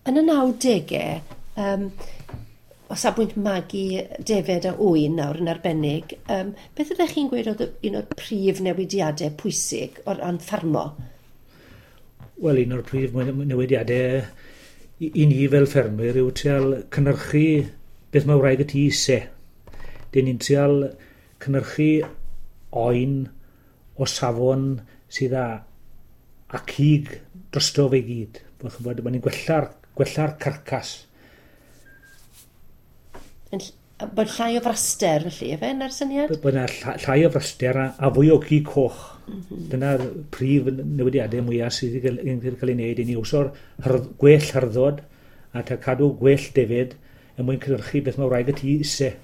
Yn y 90au, o safbwynt magu defed a ŵyn nawr yn arbennig, beth ydych chi'n gweud oedd un o'r prif newidiadau pwysig o ran ffarmo? Wel, un o'r prif newidiadau i ni fel ffermwyr yw trial cynhyrchu beth mae wraig y tŷ eisiau. Dyn ni'n trial cynhyrchu oen o safon sydd â cig drosto fe i gyd. Ch'mod, ni'n gwella'r carcas. Bod llai o fraster felly, efe, na'r syniad? Bod yna llai o fraster a fwy o gig coch. Dyna'r prif newidiadau mwyaf sydd wedi cael ei wneud i ni wso'r gwell hyrddod a ta cadw gwell defed er mwyn cynhyrchu beth mae wraig y tŷ eisiau.